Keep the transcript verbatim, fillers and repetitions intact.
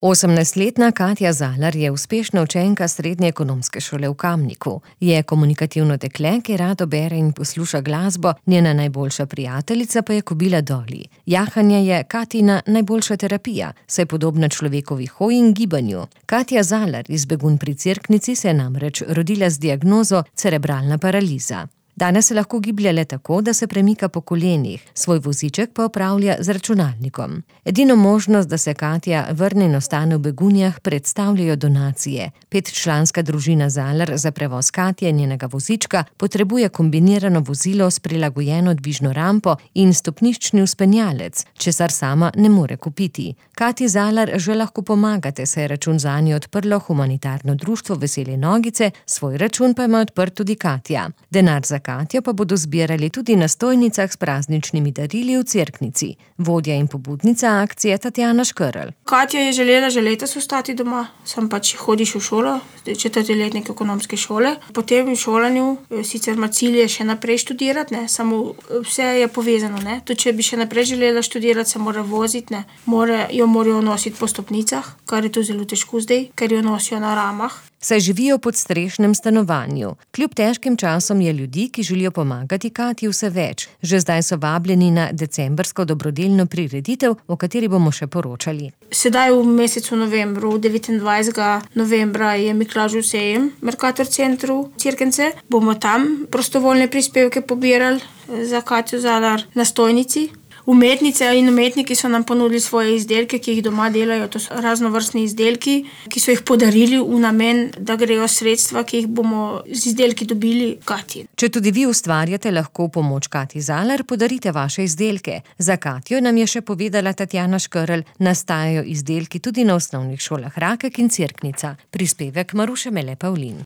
osemnajstletna Katja Zalar je uspešna učenka Srednje ekonomske šole v Kamniku. Je komunikativno dekle, ki rado bere in posluša glasbo, njena najboljša prijateljica pa je Kobila Dolly. Jahanje je Katina najboljša terapija, saj podobna človekovi hoji in gibanju. Katja Zalar iz Begunj pri Cerknici se je namreč rodila z diagnozo cerebralna paraliza. Danes se lahko giblje le tako, da se premika po kolenih, svoj voziček pa opravlja z računalnikom. Edino možnost, da se Katja vrne in ostane v Begunjah, predstavljajo donacije. Petčlanska družina Zalar za prevoz Katje in njenega vozička potrebuje kombinirano vozilo s prilagojeno dvižno rampo in stopniščni vzpenjalec, česar sama ne more kupiti. Katji Zalar že lahko pomagate, saj je račun zanjo odprlo humanitarno društvo Vesele nogice, svoj račun pa ima odprt tudi Katja. Denar za Katjo pa bodo zbirali tudi na stojnicah s prazničnimi darili v Cerknici. Vodja in pobudnica akcije Tatjana Škerl. Katja je želela že letos ostati doma, sem pač hodiš v šolo, četrti letnik ekonomske šole. Po tem šolanju sicer ima cilj še naprej študirati, ne, samo vse je povezano, ne. Tudi če bi še naprej želela študirati, se mora voziti, ne. More, jo morajo nositi po stopnicah, kar je to zelo težko zdaj, ker jo nosijo na ramah. Saj živijo pod strešnem stanovanju. Kljub težkim časom je ljudi, ki želijo pomagati Katji, vse več. Že zdaj so vabljeni na decembrsko dobrodelno prireditev, o kateri bomo še poročali. Sedaj v mesecu novembru, devetindvajsetega novembra, je Miklavžev sejem v Mercator centru Cerknice. Bomo tam prostovoljne prispevke pobirali za Katjo Zalar na stojnici. Umetnice in umetniki so nam ponudili svoje izdelke, ki jih doma delajo. To so raznovrstni izdelki, ki so jih podarili v namen, da grejo sredstva, ki jih bomo z izdelki dobili Katji. Če tudi vi ustvarjate, lahko v pomoč Katji Zalar podarite vaše izdelke. Za Katjo nam je še povedala Tatjana Škerl, nastajajo izdelki tudi na osnovnih šolah Rakek in Cerknica. Prispevek Maruše Mele Pavlin.